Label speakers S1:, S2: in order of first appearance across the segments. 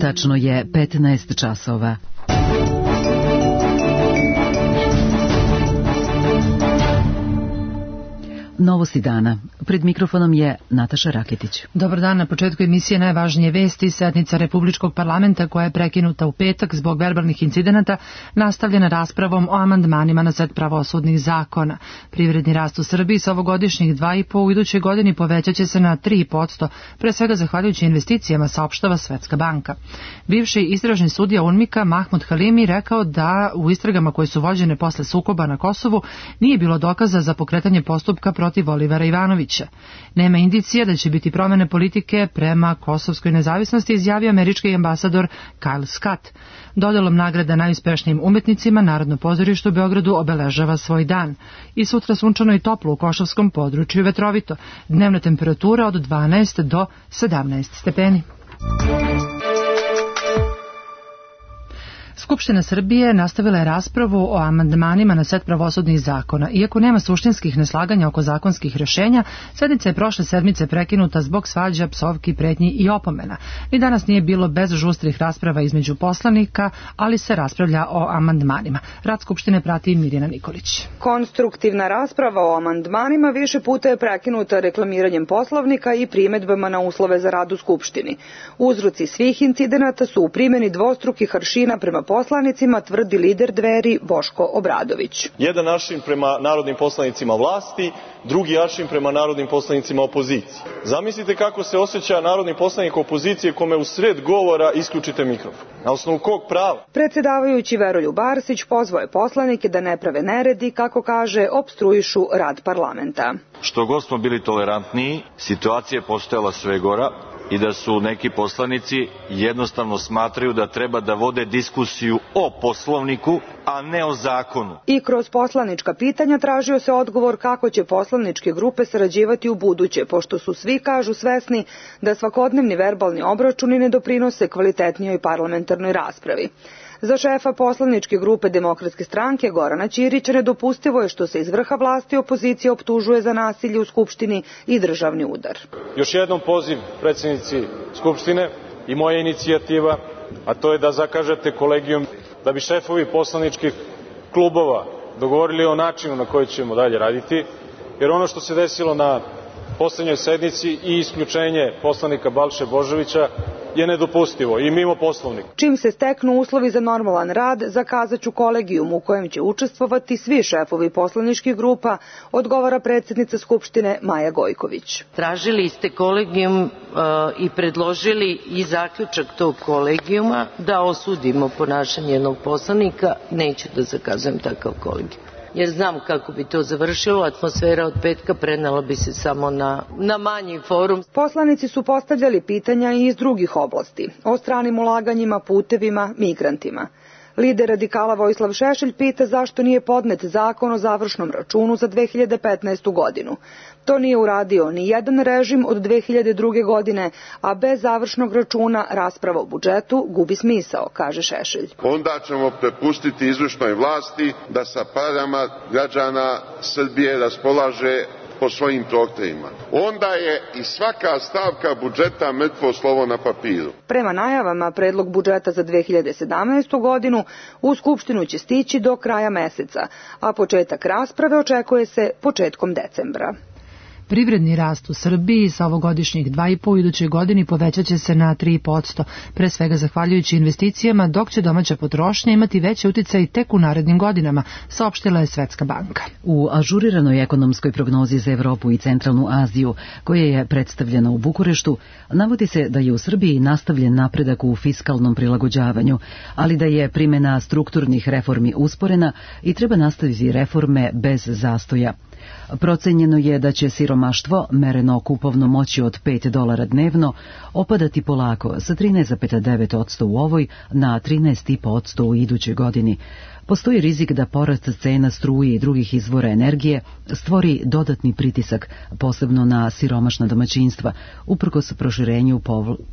S1: Tačno je 15 časova. Novosti dana. Pred mikrofonom je Nataša Raketić.
S2: Dobar dan. Na početku emisije najvažnije vesti. Sednica Republičkog parlamenta koja je prekinuta u petak zbog verbalnih incidenata nastavljena raspravom o amandmanima na set pravosudnih zakona. Privredni rast u Srbiji sa ovogodišnjih 2,5 u idućoj godini povećat će se na 3%, pre svega zahvaljujući investicijama, saopštava Svetska banka. Bivši istražni sudija UNMIK-a Mahmud Halimi rekao da u istragama koje su vođene posle sukoba na Kosovu nije bilo dokaza za pokretanje postupka protiv Olivera Ivanovića. Nema indicija da će biti promene politike prema kosovskoj nezavisnosti, izjavio američki ambasador Kyle Scott. Dodelom nagrada najuspešnijim umetnicima Narodno pozorište u Beogradu obeležava svoj dan. I sutra sunčano i toplo u Košavskom području, vetrovito. Dnevna temperatura od 12 do 17 stepeni. Skupština Srbije nastavila je raspravu o amandmanima na set pravosudnih zakona. Iako nema suštinskih neslaganja oko zakonskih rješenja, sednica je prošle sedmice prekinuta zbog svađa, psovki, pretnji i opomena. Ni danas nije bilo bez žustrih rasprava između poslanika, ali se raspravlja o amandmanima. Rad Skupštine prati Mirjana Nikolić.
S3: Konstruktivna rasprava o amandmanima više puta je prekinuta reklamiranjem Poslovnika i primedbama na uslove za rad u Skupštini. Uzroci svih incidenata su u primjeni dvostrukih aršina prema poslanicima, tvrdi lider Dveri Boško Obradović.
S4: Jedan aršin prema narodnim poslanicima vlasti, drugi aršin prema narodnim poslanicima opozicije. Zamislite kako se osjeća narodni poslanik opozicije kome u sred govora isključite mikrofon. Na osnovu kog prava?
S3: Predsjedavajući Veroljub Arsić pozvao je poslanike da ne prave neredi, kako kaže, opstruišu rad parlamenta.
S5: Što god smo bili tolerantniji, situacija je postojala sve gora i da su neki poslanici jednostavno smatraju da treba da vode diskusiju o Poslovniku, a ne o zakonu.
S3: I kroz poslanička pitanja tražio se odgovor kako će poslaničke grupe sarađivati u buduće, pošto su svi, kažu, svesni da svakodnevni verbalni obračuni ne doprinose kvalitetnijoj parlamentarnoj raspravi. Za šefa poslaničke grupe Demokratske stranke Gorana Ćirića nedopustivo je što se iz vrha vlasti opozicija optužuje za nasilje u Skupštini i državni udar.
S4: Još jednom poziv predsjednici Skupštine i moja inicijativa, a to je da zakažete kolegijum da bi šefovi poslaničkih klubova dogovorili o načinu na koji ćemo dalje raditi, jer ono što se desilo na poslednjoj sednici i isključenje poslanika Balše Božovića je nedopustivo i mimo Poslovnika.
S3: Čim se steknu uslovi za normalan rad, zakazaću kolegijum u kojem će učestvovati svi šefovi poslaničkih grupa, odgovara predsjednica Skupštine Maja Gojković.
S6: Tražili ste kolegijum i predložili i zaključak tog kolegijuma da osudimo ponašanje jednog poslanika. Neću da zakazujem takav kolegijum, jer znam kako bi to završilo. Atmosfera od petka prenela bi se samo na manji forum.
S3: Poslanici su postavljali pitanja i iz drugih oblasti, o stranim ulaganjima, putevima, migrantima. Lider radikala Vojislav Šešelj pita zašto nije podnet zakon o završnom računu za 2015. godinu. To nije uradio ni jedan režim od 2002. godine, a bez završnog računa rasprava o budžetu gubi smisao, kaže Šešelj.
S7: Onda ćemo prepustiti izvršnoj vlasti da sa parama građana Srbije raspolaže po svojim prohtevima. Onda je i svaka stavka budžeta mrtvo slovo na papiru.
S3: Prema najavama, predlog budžeta za 2017. godinu u Skupštinu će stići do kraja meseca, a početak rasprave očekuje se početkom decembra.
S2: Privredni rast u Srbiji sa ovogodišnjih 2,5 u idućoj godini povećat će se na 3%, pre svega zahvaljujući investicijama, dok će domaća potrošnja imati veći uticaj tek u narednim godinama, saopštila je Svetska banka.
S1: U ažuriranoj ekonomskoj prognozi za Evropu i Centralnu Aziju, koja je predstavljena u Bukureštu, navodi se da je u Srbiji nastavljen napredak u fiskalnom prilagođavanju, ali da je primjena strukturnih reformi usporena i treba nastaviti reforme bez zastoja. Procenjeno je da će siromaštvo, mereno kupovnom moći od $5 dnevno, opadati polako sa 13,9% u ovoj na 13,5% u idućoj godini. Postoji rizik da porast cena struje i drugih izvora energije stvori dodatni pritisak, posebno na siromašna domaćinstva, uprkos proširenju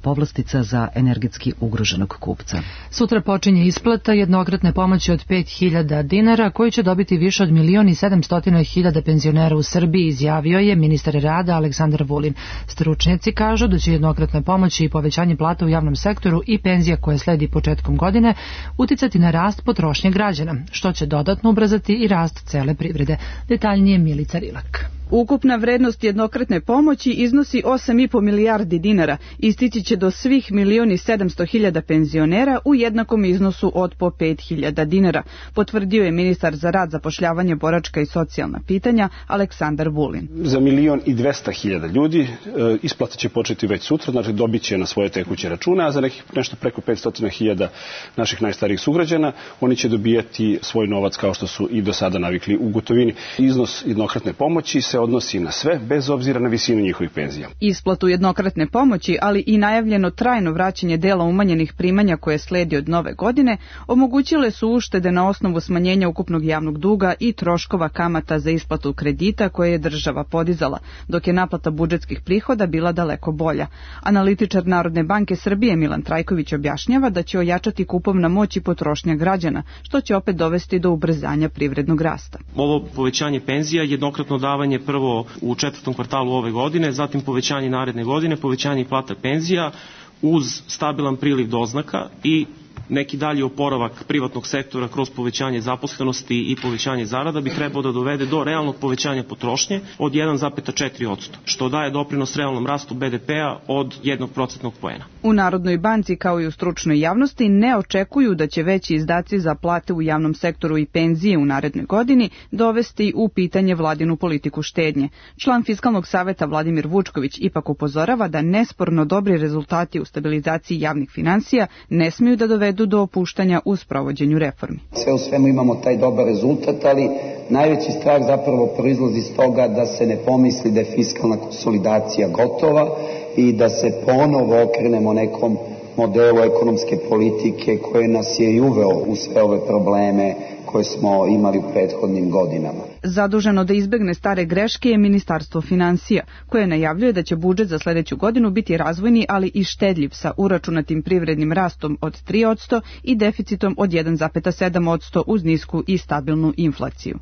S1: povlastica za energetski ugroženog kupca.
S2: Sutra počinje isplata jednokratne pomoći od 5.000 dinara, koju će dobiti više od 1.700.000 penzionera penzionera u Srbiji, izjavio je ministar rada Aleksandar Vulin. Stručnjaci kažu da će jednokratne pomoći i povećanje plata u javnom sektoru i penzija koje sledi početkom godine uticati na rast potrošnje građana, što će dodatno ubrzati i rast cele privrede. Detaljnije Milica Rilak.
S8: Ukupna vrednost jednokratne pomoći iznosi 8,5 milijardi dinara i stići će do svih 1.700.000 penzionera u jednakom iznosu od po 5.000 dinara, potvrdio je ministar za rad, zapošljavanje, boračka i socijalna pitanja Aleksandar Vulin.
S9: Za 1.200.000 ljudi isplata će početi već sutra, znači dobit će na svoje tekuće račune, a za nekih nešto preko 500.000 naših najstarijih sugrađana oni će dobijati svoj novac kao što su i do sada navikli u gotovini. Iznos jednokratne pomoći se odnosi na sve, bez obzira na visinu njihovih penzija.
S8: Isplatu jednokratne pomoći, ali i najavljeno trajno vraćanje dela umanjenih primanja koje sledi od nove godine, omogućile su uštede na osnovu smanjenja ukupnog javnog duga i troškova kamata za isplatu kredita koje je država podizala, dok je naplata budžetskih prihoda bila daleko bolja. Analitičar Narodne banke Srbije Milan Trajković objašnjava da će ojačati kupovna moć i potrošnja građana, što će opet dovesti do ubrzanja privrednog rasta.
S10: Ovo povećanje penzija, jednokratno davanje prvo u 4. kvartalu ove godine, zatim povećanje naredne godine, povećanje plata penzija uz stabilan priliv doznaka i neki dalji oporavak privatnog sektora kroz povećanje zaposlenosti i povećanje zarada bi trebao da dovede do realnog povećanja potrošnje od 1,4%, što daje doprinos realnom rastu BDP-a od 1% poena.
S8: U Narodnoj banci kao i u stručnoj javnosti ne očekuju da će veći izdaci za plate u javnom sektoru i penzije u narednoj godini dovesti u pitanje vladinu politiku štednje. Član Fiskalnog saveta Vladimir Vučković ipak upozorava da nesporno dobri rezultati u stabilizaciji javnih finansija ne smiju da dovedu do opuštanja u sprovođenju reformi.
S11: Sve u svemu imamo taj dobar rezultat, ali najveći strah zapravo proizlazi iz toga da se ne pomisli da je fiskalna konsolidacija gotova i da se ponovo okrenemo nekom modelu ekonomske politike koje nas je i uveo u sve ove probleme koje smo imali u prethodnim godinama.
S8: Zaduženo da izbegne stare greške je Ministarstvo finansija, koje najavljuje da će budžet za sledeću godinu biti razvojni, ali i štedljiv sa uračunatim privrednim rastom od 3% i deficitom od 1,7% uz nisku i stabilnu inflaciju.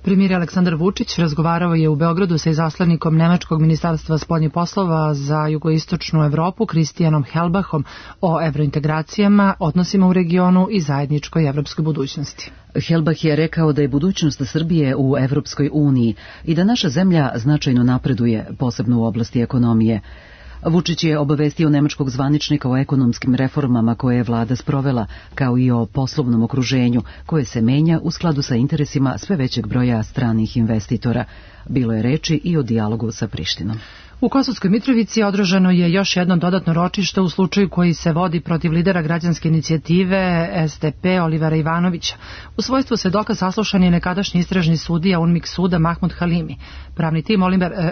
S2: Premijer Aleksandar Vučić razgovarao je u Beogradu sa izaslanikom Nemačkog ministarstva spoljnih poslova za jugoistočnu Evropu Kristijanom Helbachom o evrointegracijama, odnosima u regionu i zajedničkoj evropskoj budućnosti.
S1: Helbach je rekao da je budućnost Srbije u Evropskoj uniji i da naša zemlja značajno napreduje, posebno u oblasti ekonomije. Vučić je obavestio nemačkog zvaničnika o ekonomskim reformama koje je vlada sprovela, kao i o poslovnom okruženju koje se menja u skladu sa interesima sve većeg broja stranih investitora. Bilo je reči i o dijalogu sa Prištinom.
S2: U Kosovskoj Mitrovici održano je još jedno dodatno ročište u slučaju koji se vodi protiv lidera građanske inicijative SDP Olivera Ivanovića. U svojstvu svedoka saslušan je nekadašnji istražni sudija UNMIK suda Mahmud Halimi. Pravni tim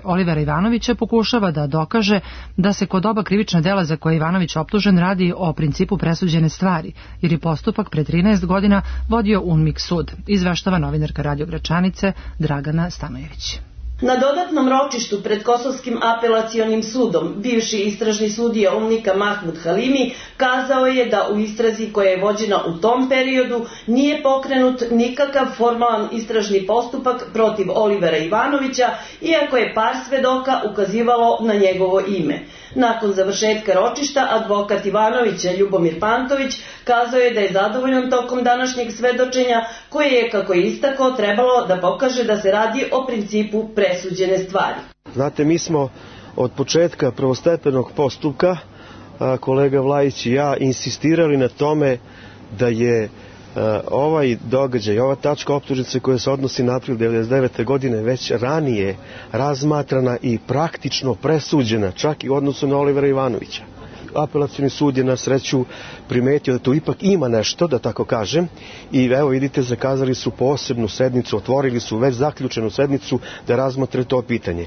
S2: Olivera Ivanovića pokušava da dokaže da se kod oba krivična dela za koje je Ivanović optužen radi o principu presuđene stvari, jer je postupak pre 13 godina vodio UNMIK sud, izveštava novinarka Radio Gračanice Dragana Stanojević.
S12: Na dodatnom ročištu pred Kosovskim apelacionim sudom bivši istražni sudija UNMIK-a Mahmud Halimi kazao je da u istrazi koja je vođena u tom periodu nije pokrenut nikakav formalan istražni postupak protiv Olivera Ivanovića, iako je par svedoka ukazivalo na njegovo ime. Nakon završetka ročišta, advokat Ivanovića Ljubomir Pantović kazao je da je zadovoljan tokom današnjeg svedočenja, koje je, kako je istakao, trebalo da pokaže da se radi o principu presuđene stvari.
S13: Znate, mi smo od početka prvostepenog postupka, kolega Vlajić i ja, insistirali na tome da je ovaj događaj, ova tačka optužnice koja se odnosi na april 1999. godine već ranije razmatrana i praktično presuđena, čak i u odnosu na Olivera Ivanovića. Apelacioni sud je na sreću primetio da tu ipak ima nešto, da tako kažem, i evo vidite, zakazali su posebnu sednicu, otvorili su već zaključenu sednicu da razmotre to pitanje.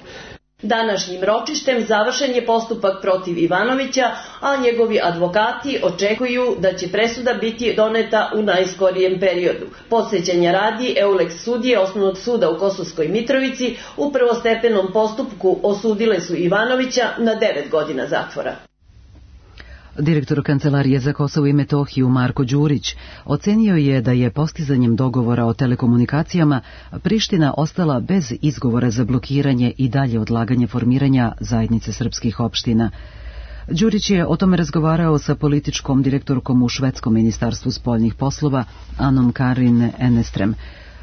S12: Današnjim ročištem završen je postupak protiv Ivanovića, a njegovi advokati očekuju da će presuda biti doneta u najskorijem periodu. Podsjećanja radi, EULEX sudije Osnovnog suda u Kosovskoj Mitrovici u prvostepenom postupku osudile su Ivanovića na 9 godina zatvora.
S1: Direktor Kancelarije za Kosovo i Metohiju Marko Đurić ocenio je da je postizanjem dogovora o telekomunikacijama Priština ostala bez izgovora za blokiranje i dalje odlaganje formiranja zajednice srpskih opština. Đurić je o tome razgovarao sa političkom direktorkom u švedskom ministarstvu spoljnih poslova Anom Karin Enestrem.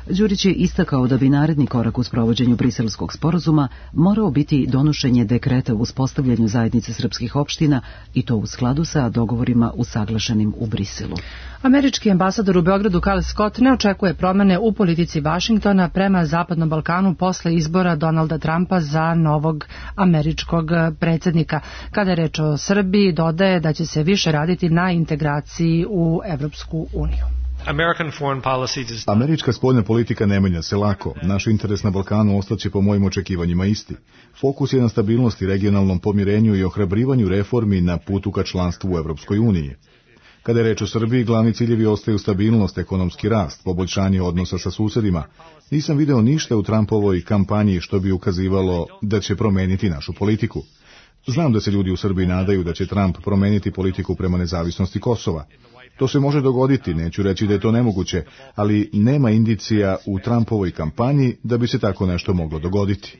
S1: Đurić je istakao da bi naredni korak u sprovođenju Briselskog sporazuma morao biti donošenje dekreta o uspostavljanju zajednice srpskih opština i to u skladu sa dogovorima usaglašenim u Briselu.
S2: Američki ambasador u Beogradu Kyle Scott ne očekuje promene u politici Vašingtona prema Zapadnom Balkanu posle izbora Donalda Trumpa za novog američkog predsjednika. Kada je reč o Srbiji, dodaje da će se više raditi na integraciji u Evropsku uniju.
S14: Američka spoljna politika ne menja se lako. Naš interes na Balkanu ostaće po mojim očekivanjima isti. Fokus je na stabilnosti, regionalnom pomirenju i ohrabrivanju reformi na putu ka članstvu u Evropskoj uniji. Kada je reč o Srbiji, glavni ciljevi ostaju stabilnost, ekonomski rast, poboljšanje odnosa sa susedima. Nisam video ništa u Trumpovoj kampanji što bi ukazivalo da će promeniti našu politiku. Znam da se ljudi u Srbiji nadaju da će Trump promeniti politiku prema nezavisnosti Kosova. To se može dogoditi, neću reći da je to nemoguće, ali nema indicija u Trumpovoj kampanji da bi se tako nešto moglo dogoditi.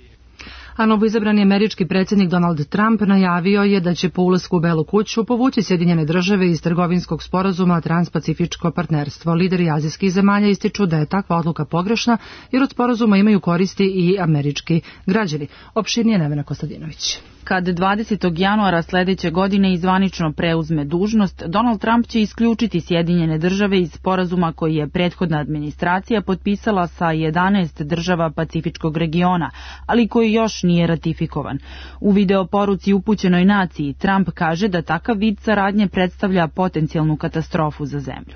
S2: A novoizabrani američki predsjednik Donald Trump najavio je da će po ulasku u Belu kuću povući Sjedinjene države iz trgovinskog sporazuma Transpacifičko partnerstvo. Lideri azijskih zemalja ističu da je takva odluka pogrešna jer od sporazuma imaju koristi i američki građani. Opširnije Nevena Kostadinović.
S15: Kad 20. januara sljedeće godine zvanično preuzme dužnost, Donald Trump će isključiti Sjedinjene države iz sporazuma koji je prethodna administracija potpisala sa 11 država Pacifičkog regiona, ali koji još nije ratifikovan. U videoporuci upućenoj naciji Trump kaže da takav vid saradnje predstavlja potencijalnu katastrofu za zemlju.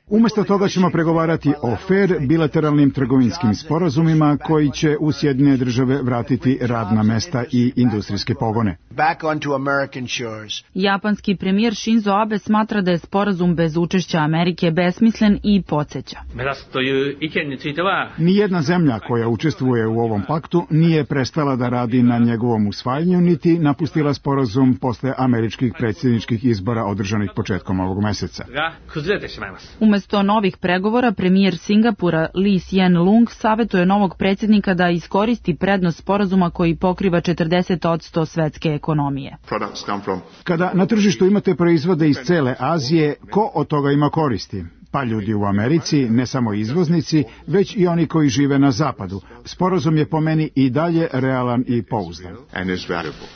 S16: Umjesto toga ćemo pregovarati o fair bilateralnim trgovinskim sporazumima koji će u Sjedinjene države vratiti radna mesta i industrijske pogone.
S15: Japanski premijer Shinzo Abe smatra da je sporazum bez učešća Amerike besmislen i podsjeća.
S16: Nijedna zemlja koja učestvuje u ovom paktu nije prestala da radi na njegovom usvajanju, niti napustila sporazum posle američkih predsjedničkih izbora održanih početkom ovog meseca.
S15: Umjesto novih pregovora, premijer Singapura Lee Hsien Loong savjetuje novog predsjednika da iskoristi prednost sporazuma koji pokriva 40% svetske ekonomije.
S16: Kada na tržištu imate proizvode iz cele Azije, ko od toga ima koristi? Pa ljudi u Americi, ne samo izvoznici, već i oni koji žive na zapadu. Sporazum je po meni i dalje realan i pouzdan.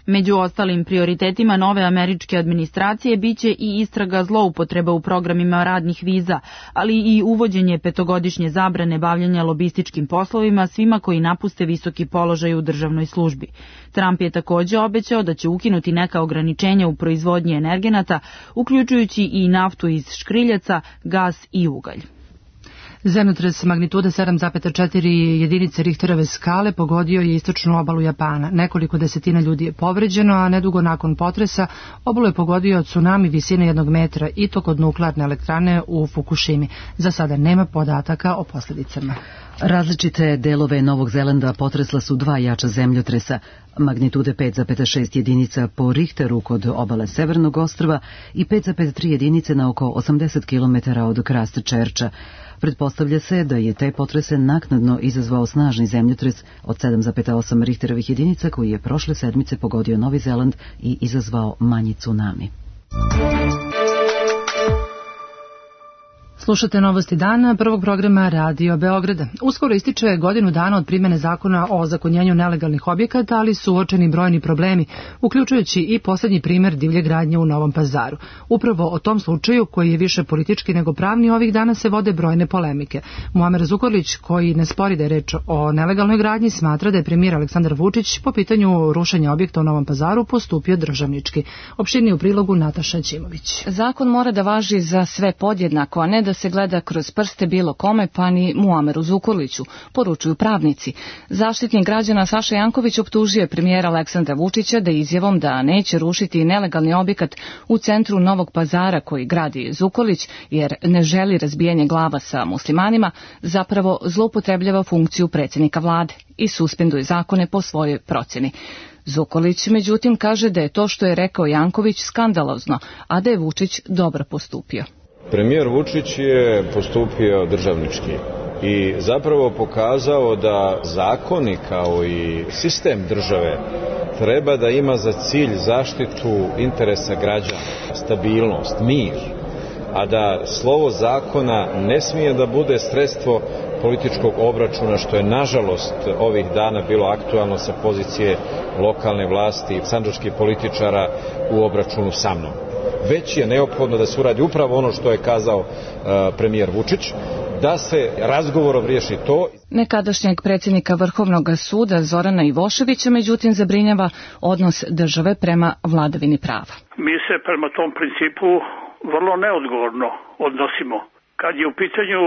S15: Među ostalim prioritetima nove američke administracije biće i istraga zloupotreba u programima radnih viza, ali i uvođenje 5-godišnje zabrane bavljenja lobističkim poslovima svima koji napuste visoki položaj u državnoj službi. Trump je također obećao da će ukinuti neka ograničenja u proizvodnji energenata, uključujući i naftu iz škriljaca, gas i ugalj.
S2: Zemljotres magnitude 7,4 jedinice Richterove skale pogodio je istočnu obalu Japana. Nekoliko desetina ljudi je povređeno, a nedugo nakon potresa obalu je pogodio tsunami visine 1 metra i to kod nuklearne elektrane u Fukushimi. Za sada nema podataka o posljedicama.
S1: Različite delove Novog Zelanda potresla su 2 jača zemljotresa, magnitude 5,6 jedinica po Richteru kod obale Severnog ostrva i 5,3 jedinice na oko 80 km od Christchurcha. Pretpostavlja se da je te potrese naknadno izazvao snažni zemljotres od 7,8 Richterovih jedinica koji je prošle sedmice pogodio Novi Zeland i izazvao manji tsunami.
S2: Slušate novosti dana prvog programa Radio Beograda. Uskoro ističe godinu dana od primjene zakona o ozakonjenju nelegalnih objekata, ali su uočeni brojni problemi, uključujući i posljednji primjer divlje gradnje u Novom Pazaru. Upravo o tom slučaju, koji je više politički nego pravni, ovih dana se vode brojne polemike. Muamer Zukorlić, koji ne spori da je reč o nelegalnoj gradnji, smatra da je premijer Aleksandar Vučić po pitanju rušenja objekta u Novom Pazaru postupio državnički. Opširnije u prilogu Nataša Ćimović.
S17: Zakon mora da važi za sve podjednako, a ne da se gleda kroz prste bilo kome, pa ni Muameru Zukorliću, poručuju pravnici. Zaštitnik građana Saša Janković optužio je premijera Aleksandra Vučića da izjavom da neće rušiti nelegalni objekat u centru Novog Pazara koji gradi Zukorlić, jer ne želi razbijanje glava sa muslimanima, zapravo zloupotrebljava funkciju predsjednika vlade. i suspenduje zakone po svojoj procjeni. Zukolić, međutim, kaže da je to što je rekao Janković skandalozno, a da je Vučić dobro postupio.
S18: Premijer Vučić je postupio državnički i zapravo pokazao da zakoni kao i sistem države treba da ima za cilj zaštitu interesa građana, stabilnost, mir, a da slovo zakona ne smije da bude sredstvo političkog obračuna, što je nažalost ovih dana bilo aktualno sa pozicije lokalne vlasti i sandžačkih političara u obračunu sa mnom. Već je neophodno da se uradi upravo ono što je kazao premijer Vučić, da se razgovorom riješi to.
S17: Nekadašnjeg predsjednika Vrhovnog suda Zorana Ivoševića, međutim, zabrinjava odnos države prema vladavini prava.
S19: Mi se prema tom principu vrlo neodgovorno odnosimo. Kad je u pitanju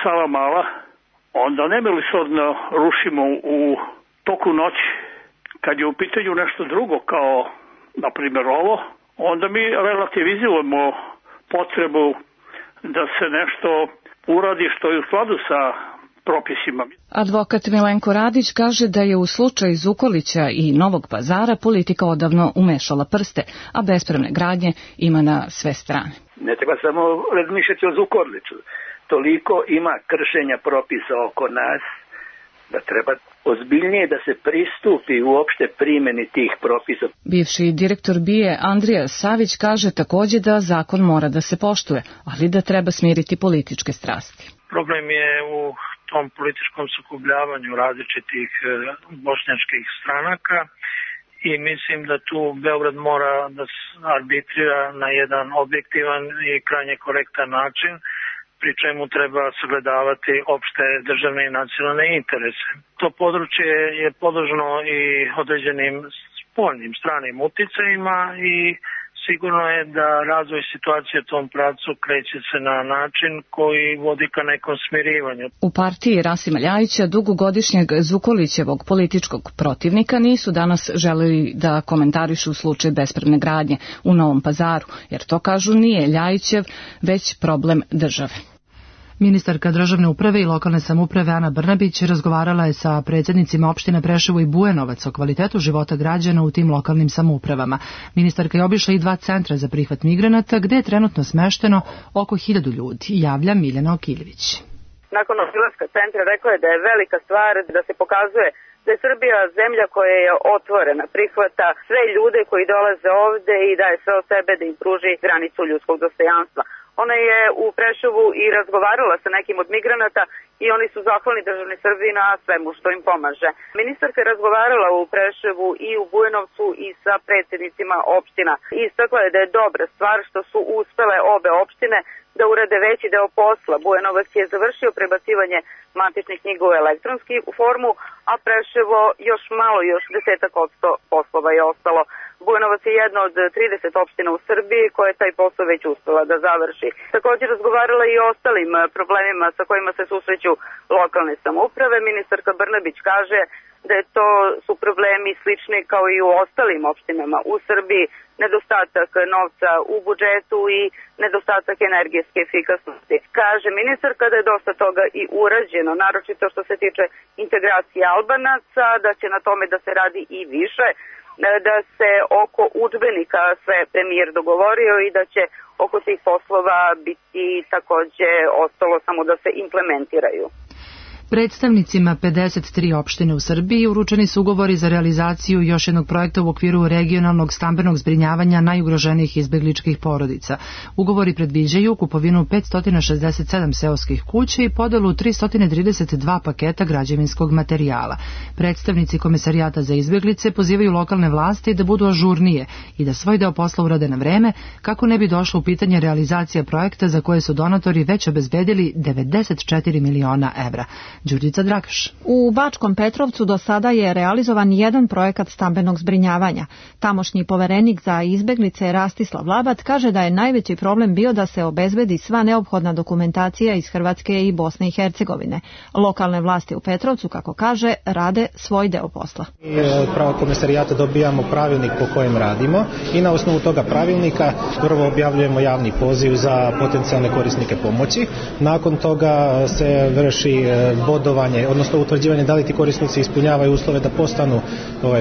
S19: Savamala, onda nemilosrdno rušimo u toku noći. Kad je u pitanju nešto drugo, kao na primjer ovo, onda mi relativizujemo potrebu da se nešto uradi što je u skladu sa propisima.
S17: Advokat Milenko Radić kaže da je u slučaju Zukolića i Novog Pazara politika odavno umešala prste, a bespravne gradnje ima na sve strane.
S20: Ne treba samo razmišljati o Zukorliću. Toliko ima kršenja propisa oko nas da treba ozbiljnije da se pristupi uopšte primjeni tih propisa.
S17: Bivši direktor BIA Andrija Savić kaže također da zakon mora da se poštuje, ali da treba smiriti političke strasti.
S21: Problem je u tom političkom sukobljavanju različitih bošnjačkih stranaka i mislim da tu Beograd mora da arbitrira na jedan objektivan i krajnje korektan način, pri čemu treba sagledavati opšte državne i nacionalne interese. To područje je podložno i određenim spoljnim stranim uticajima i sigurno je da razvoj situacije u tom pravcu kreće se na način koji vodi ka nekom smirivanju.
S17: U partiji Rasima Ljajića, dugogodišnjeg Zukolićevog političkog protivnika, nisu danas želeli da komentarišu slučaj bespravne gradnje u Novom Pazaru, jer to, kažu, nije Ljajićev, već problem države.
S2: Ministarka državne uprave i lokalne samouprave Ana Brnabić razgovarala je sa predsjednicima opština Preševo i Bujanovac o kvalitetu života građana u tim lokalnim samoupravama. Ministarka je obišla i 2 centra za prihvat migranata, gde je trenutno smešteno oko 1000 ljudi, javlja Miljana Okiljević.
S22: Nakon obilaska centra rekla je da je velika stvar da se pokazuje da je Srbija zemlja koja je otvorena, prihvata sve ljude koji dolaze ovde i daje sve od sebe da im pruži granicu ljudskog dostojanstva. Ona je u Preševu i razgovarala sa nekim od migranata i oni su zahvalni državni Srbiji na svemu što im pomaže. Ministarka je razgovarala u Preševu i u Bujanovcu i sa predsjednicima opština. Istakla je da je dobra stvar što su uspele obe opštine da urade veći deo posla. Bujanovac je završio prebacivanje matičnih knjiga u elektronsku formu, a Preševo još 10% poslova je ostalo. Bujanovac je jedna od 30 opština u Srbiji koja je taj posao već uspela da završi. Također razgovarala i o ostalim problemima sa kojima se susreću lokalne samouprave. Ministarka Brnabić kaže da su problemi slični kao i u ostalim opštinama u Srbiji, nedostatak novca u budžetu i nedostatak energetske efikasnosti. Kaže ministarka da je dosta toga i urađeno, naročito što se tiče integracije Albanaca, da će na tome da se radi i više, da se oko udžbenika sve premijer dogovorio i da će oko tih poslova biti takođe ostalo samo da se implementiraju.
S2: Predstavnicima 53 opštine u Srbiji uručeni su ugovori za realizaciju još jednog projekta u okviru regionalnog stambenog zbrinjavanja najugroženijih izbegličkih porodica. Ugovori predviđaju kupovinu 567 seoskih kuća i podelu 332 paketa građevinskog materijala. Predstavnici Komesarijata za izbeglice pozivaju lokalne vlasti da budu ažurnije i da svoj deo posla urade na vreme, kako ne bi došlo u pitanje realizacija projekta za koje su donatori već obezbedili 94 miliona evra. Đurđica Dragaš.
S23: U Bačkom Petrovcu do sada je realizovan jedan projekat stambenog zbrinjavanja. Tamošnji poverenik za izbeglice Rastislav Labat kaže da je najveći problem bio da se obezbedi sva neophodna dokumentacija iz Hrvatske i Bosne i Hercegovine. Lokalne vlasti u Petrovcu, kako kaže, rade svoj deo posla.
S24: Pravo Komesarijata dobijamo pravilnik po kojem radimo i na osnovu toga pravilnika prvo objavljujemo javni poziv za potencijalne korisnike pomoći. Nakon toga se vrši bodovanje, odnosno utvrđivanje da li ti korisnici ispunjavaju uslove da postanu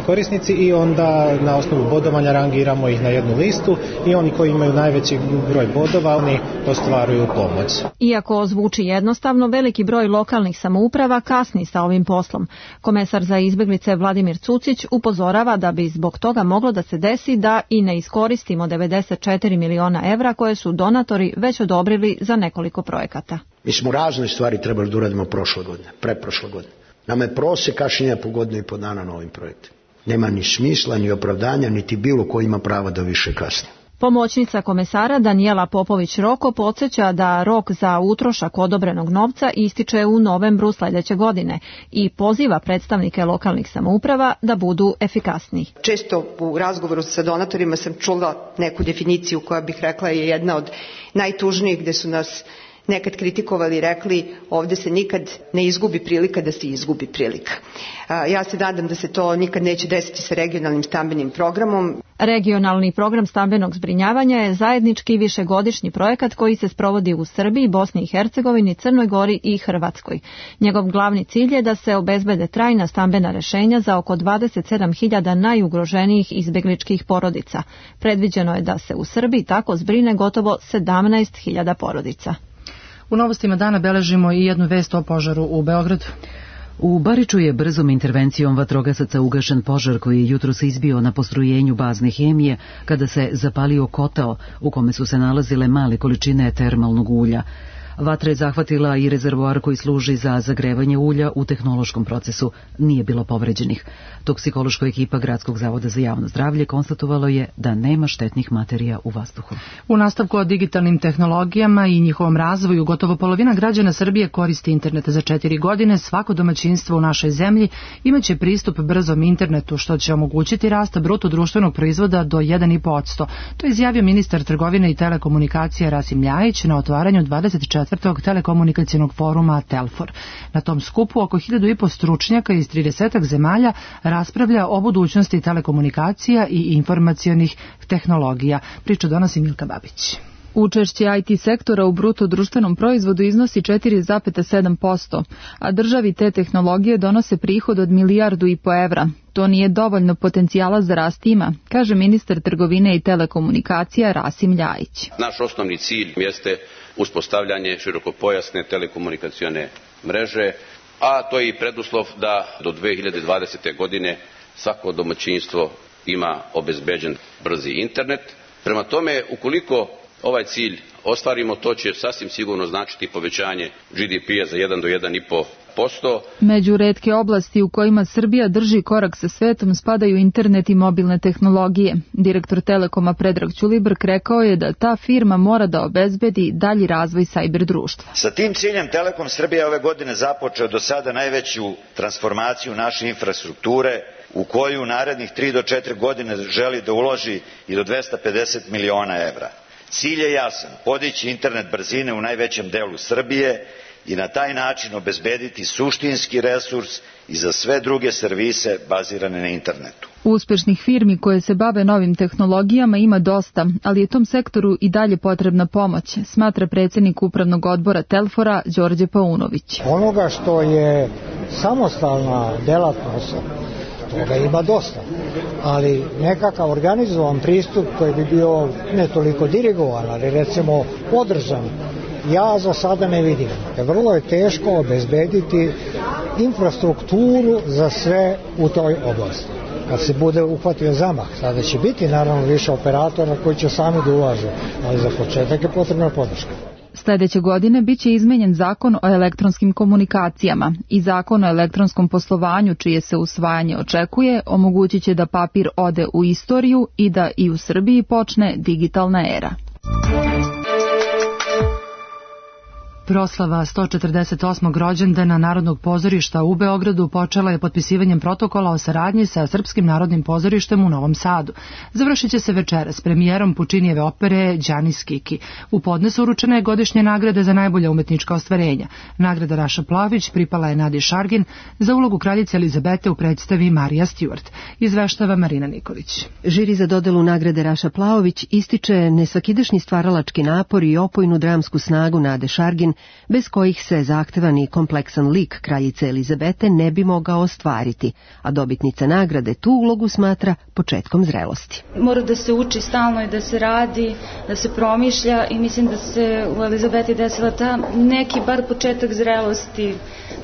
S24: korisnici i onda na osnovu bodovanja rangiramo ih na jednu listu i oni koji imaju najveći broj bodova, oni ostvaruju pomoć.
S23: Iako zvuči jednostavno, veliki broj lokalnih samouprava kasni sa ovim poslom. Komesar za izbeglice Vladimir Cucić upozorava da bi zbog toga moglo da se desi da i ne iskoristimo 94 miliona evra koje su donatori već odobrili za nekoliko projekata.
S4: Mi smo razne stvari trebali da uradimo prošle godine, preprošle godine. Nama je prosek kašnjenja po godinu i po dana na ovim projektima. Nema ni smisla, ni opravdanja, niti bilo ko ima prava da više kasni.
S23: Pomoćnica komesara Danijela Popović-Roko podsjeća da rok za utrošak odobrenog novca ističe u novembru sledeće godine i poziva predstavnike lokalnih samouprava da budu efikasniji.
S5: Često u razgovoru sa donatorima sam čula neku definiciju koja bih rekla je jedna od najtužnijih, gde su nas nekad kritikovali i rekli ovde se nikad ne izgubi prilika da se izgubi prilika. Ja se nadam da se to nikad neće desiti sa regionalnim stambenim programom.
S23: Regionalni program stambenog zbrinjavanja je zajednički višegodišnji projekat koji se sprovodi u Srbiji, Bosni i Hercegovini, Crnoj Gori i Hrvatskoj. Njegov glavni cilj je da se obezbede trajna stambena rešenja za oko 27.000 najugroženijih izbegličkih porodica. Predviđeno je da se u Srbiji tako zbrine gotovo 17.000 porodica.
S2: U novostima dana beležimo i jednu vest o požaru u Beogradu.
S1: U Bariču je brzom intervencijom vatrogasaca ugašen požar koji je jutros izbio na postrojenju bazne hemije kada se zapalio kotao u kome su se nalazile male količine termalnog ulja. Vatra je zahvatila i rezervoar koji služi za zagrevanje ulja u tehnološkom procesu. Nije bilo povređenih. Toksikološka ekipa Gradskog zavoda za javno zdravlje konstatovalo je da nema štetnih materija u vazduhu.
S2: U nastavku o digitalnim tehnologijama i njihovom razvoju, gotovo polovina građana Srbije koristi internet za 4 godine. Svako domaćinstvo u našoj zemlji imaće pristup brzom internetu, što će omogućiti rast bruto društvenog proizvoda do 1,5%. To je izjavio ministar trgovine i telekomunikacija Rasim Ljajić na otvaranju 24. telekomunikacionog foruma Telfor. Na tom skupu oko 1.500 stručnjaka iz 30 zemalja raspravlja o budućnosti telekomunikacija i informacionih tehnologija. Priču donosi Milka Babić.
S6: Učešće IT sektora u bruto društvenom proizvodu iznosi 4,7%, a državi te tehnologije donose prihod od 1,5 milijardu evra. To nije dovoljno potencijala za rast ima, kaže ministar trgovine i telekomunikacija Rasim Ljajić.
S7: Naš osnovni cilj jeste uspostavljanje širokopojasne telekomunikacione mreže, a to je i preduslov da do 2020. godine svako domaćinstvo ima obezbeđen brzi internet. Prema tome, ukoliko ovaj cilj ostvarimo, to će sasvim sigurno značiti povećanje GDP-a za 1 do 1,5%.
S6: Među retke oblasti u kojima Srbija drži korak sa svetom spadaju internet i mobilne tehnologije. Direktor Telekoma Predrag Ćulibrk rekao je da ta firma mora da obezbedi dalji razvoj sajber društva.
S25: Sa tim ciljem Telekom Srbija ove godine započeo do sada najveću transformaciju naše infrastrukture, u koju u narednih 3 do 4 godine želi da uloži i do 250 miliona evra. Cilj je jasan, podići internet brzine u najvećem delu Srbije i na taj način obezbediti suštinski resurs i za sve druge servise bazirane na internetu.
S6: Uspešnih firmi koje se bave novim tehnologijama ima dosta, ali je tom sektoru i dalje potrebna pomoć, smatra predsjednik upravnog odbora Telfora Đorđe Paunović.
S26: Onoga što je samostalna delatnost, toga ima dosta, ali nekakav organizovan pristup koji bi bio ne toliko dirigovan, ali recimo podržan, ja za sada ne vidim. Vrlo je teško obezbediti infrastrukturu za sve u toj oblasti. Kad se bude uhvatio zamah, sada će biti naravno više operatora koji će sami da ulažu, ali za početak je potrebna podrška.
S6: Sljedeće godine biće izmenjen zakon o elektronskim komunikacijama i zakon o elektronskom poslovanju, čije se usvajanje očekuje, omogućit će da papir ode u istoriju i da i u Srbiji počne digitalna era.
S2: Proslava 148. rođendana Narodnog pozorišta u Beogradu počela je potpisivanjem protokola o saradnji sa Srpskim narodnim pozorištem u Novom Sadu. Završit će se večeras premijerom Pučinijeve opere Đanis Kiki. U podnesu uručena je godišnja nagrada za najbolja umetnička ostvarenja. Nagrada Raša Plavić pripala je Nadi Šargin za ulogu kraljice Elizabete u predstavi Marija Stewart. Izveštava Marina Nikolić.
S27: Žiri za dodelu nagrade Raša Plaović ističe nesvakidašnji stvaralački napor i opojnu dramsku snagu Nade Šargin
S3: Šargin, bez kojih se zahtevan i kompleksan lik kraljice Elizabete ne bi mogao ostvariti, a dobitnica nagrade tu ulogu smatra početkom zrelosti.
S8: Mora da se uči stalno i da se radi, da se promišlja i mislim da se u Elizabeti desila ta neki bar početak zrelosti,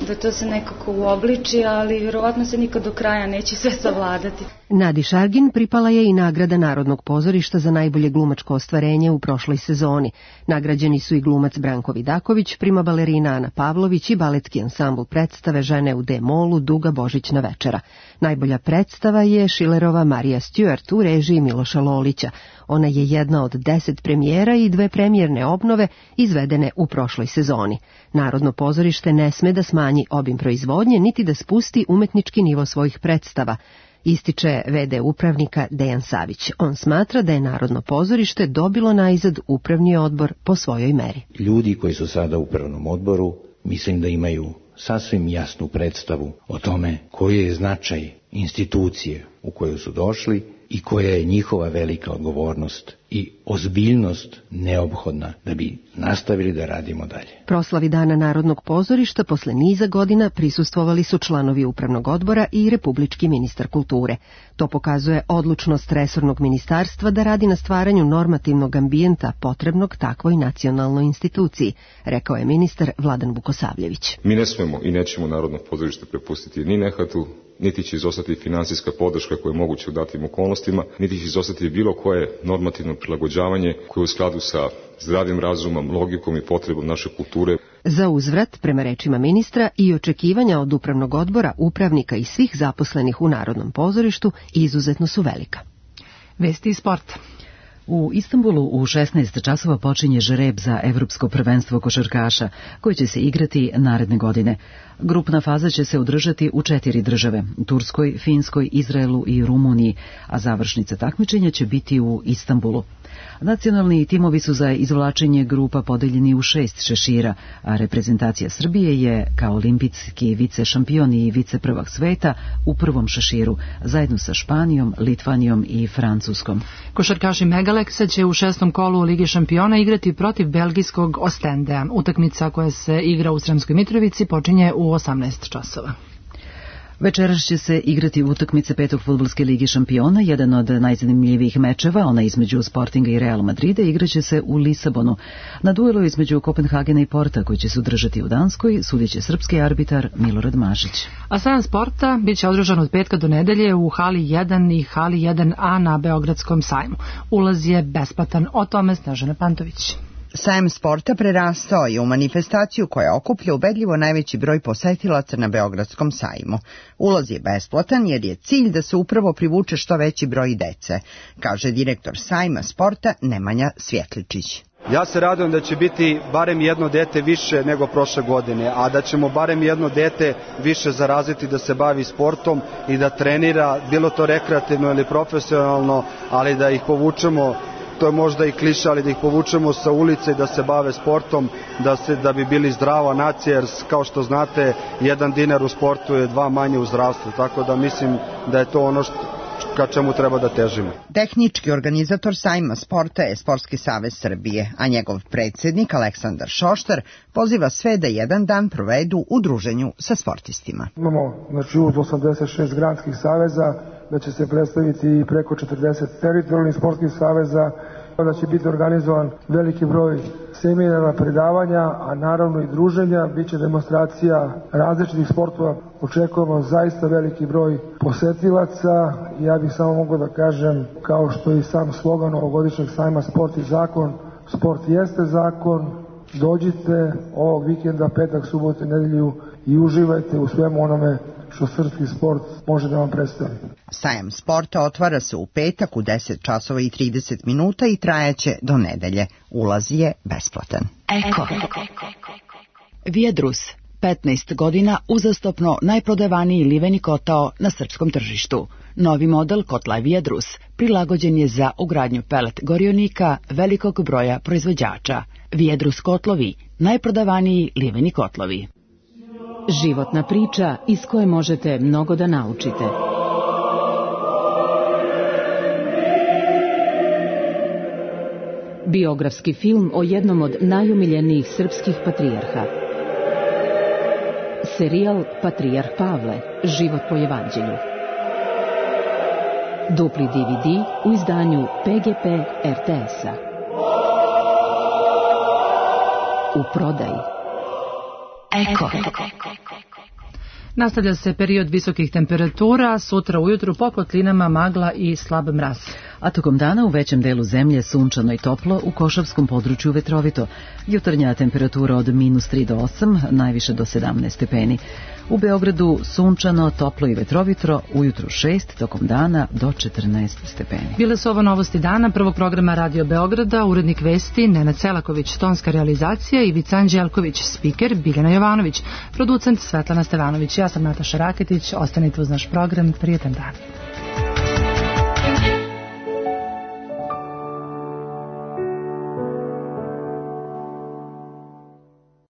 S8: da to se nekako uobliči, ali vjerovatno se nikad do kraja neće sve savladati.
S3: Nadi Šargin pripala je i nagrada Narodnog pozorišta za najbolje glumačko ostvarenje u prošloj sezoni. Nagrađeni su i glumac Branko Vidaković, prima balerina Ana Pavlović i baletski ansambl predstave Žene u D-molu Duga Božićna večera. Najbolja predstava je Šilerova Marija Stewart u režiji Miloša Lolića. Ona je jedna od 10 premijera i 2 premijerne obnove izvedene u prošloj sezoni. Narodno pozorište ne sme da smanji obim proizvodnje, niti da spusti umetnički nivo svojih predstava, ističe v.d. upravnika Dejan Savić. On smatra da je Narodno pozorište dobilo naizad upravni odbor po svojoj meri.
S9: Ljudi koji su sada u upravnom odboru mislim da imaju sasvim jasnu predstavu o tome koji je značaj institucije u koju su došli i koja je njihova velika odgovornost i ozbiljnost neophodna da bi nastavili da radimo dalje.
S3: Proslavi Dana Narodnog pozorišta posle niza godina prisustvovali su članovi upravnog odbora i republički ministar kulture. To pokazuje odlučnost resornog ministarstva da radi na stvaranju normativnog ambijenta potrebnog takvoj nacionalnoj instituciji, rekao je ministar Vladan Vukosavljević.
S10: Mi ne smemo i nećemo Narodno pozorište prepustiti ni nehatu, niti će izostati finansijska podrška koja je moguće u datim okolnostima, niti će izostati bilo koje normativno prilagođavanje koje je u skladu sa zdravim razumom, logikom i potrebom naše kulture.
S3: Za uzvrat, prema rečima ministra, i očekivanja od upravnog odbora, upravnika i svih zaposlenih u Narodnom pozorištu izuzetno su velika.
S2: Vesti iz sporta.
S1: U Istanbulu u 16 časova počinje žreb za Evropsko prvenstvo košarkaša, koje će se igrati naredne godine. Grupna faza će se održati u 4 države, Turskoj, Finskoj, Izraelu i Rumuniji, a završnica takmičenja će biti u Istanbulu. Nacionalni timovi su za izvlačenje grupa podeljeni u 6 šešira, a reprezentacija Srbije je kao olimpijski vicešampion i viceprvak sveta u prvom šeširu, zajedno sa Španijom, Litvanijom i Francuskom.
S2: Košarkaši Megaleksa će u 6. kolu Lige šampiona igrati protiv belgijskog Ostendea. Utakmica koja se igra u Sremskoj Mitrovici počinje u 18 časova.
S1: Večeras će se igrati utakmice 5. fudbalske lige šampiona, jedan od najzanimljivijih mečeva, ona između Sportinga i Real Madrida, igraće se u Lisabonu. Na duelu između Kopenhagena i Porta, koji će se održati u Danskoj, sudiće srpski arbitar Milorad Mašić.
S2: A sajam sporta biće održan od petka do nedelje u hali 1 i hali 1A na Beogradskom sajmu. Ulaz je besplatan, o tome Snežana Pantović.
S11: Sajam sporta prerastao je u manifestaciju koja okuplja ubedljivo najveći broj posetilaca na Beogradskom sajmu. Ulaz je besplatan jer je cilj da se upravo privuče što veći broj dece, kaže direktor sajma sporta Nemanja Svjetličić.
S13: Ja se radujem da će biti barem jedno dete više nego prošle godine, a da ćemo barem jedno dete više zaraziti da se bavi sportom i da trenira, bilo to rekreativno ili profesionalno, ali da ih povučemo, to je možda i kliša, ali da ih povučemo sa ulice i da se bave sportom, da bi bili zdrava nacija, jer kao što znate, 1 dinar u sportu je 2 manje u zdravstvu, tako da mislim da je to ono ka čemu treba da težimo.
S11: Tehnički organizator sajma sporta je Sportski savez Srbije, a njegov predsjednik Aleksandar Šoštar poziva sve da jedan dan provedu u druženju sa sportistima.
S27: Imamo uz 86 granskih saveza, da će se predstaviti i preko 40 teritorijalnih sportskih saveza, da će biti organizovan veliki broj seminara, predavanja, a naravno i druženja, bit će demonstracija različitih sportova. Očekujemo zaista veliki broj posetilaca. Ja bih samo mogao da kažem, kao što i sam slogan ovogodišnjeg sajma Sport i zakon, sport jeste zakon, dođite ovog vikenda, petak, subotu i nedelju i uživajte u svemu onome što srpski sport može da vam predstavi.
S11: Sajam sporta otvara se u petak u 10 časova i 30 minuta i trajaće do nedelje. Ulaz je besplatan.
S28: Eko. Vijedrus, 15 godina uzastopno najprodavaniji liveni kotao na srpskom tržištu. Novi model kotla Vijedrus prilagođen je za ugradnju pelet gorionika velikog broja proizvođača. Vijedrus kotlovi, najprodavaniji liveni kotlovi.
S29: Životna priča iz koje možete mnogo da naučite. Biografski film o jednom od najomiljenijih srpskih patrijarha. Serijal Patrijarh Pavle, život po evanđelju. Dupli DVD u izdanju PGP RTS-a. U prodaji. Eko.
S2: Nastavlja se period visokih temperatura, sutra ujutru po kotlinama magla i slab mraz.
S1: A tokom dana u većem delu zemlje sunčano i toplo, u Košavskom području vetrovito. Jutarnja temperatura od -3 do 8, najviše do 17 stepeni. U Beogradu sunčano, toplo i vetrovito, ujutru 6, tokom dana do 14 stepeni.
S2: Bile su ovo novosti dana prvog programa Radio Beograda, urednik vesti Nenad Selaković, tonska realizacija Ivica Anđelković, spiker Biljana Jovanović, producent Svetlana Stevanović. Ja sam Nataša Raketić, ostanite uz naš program, prijetan dan.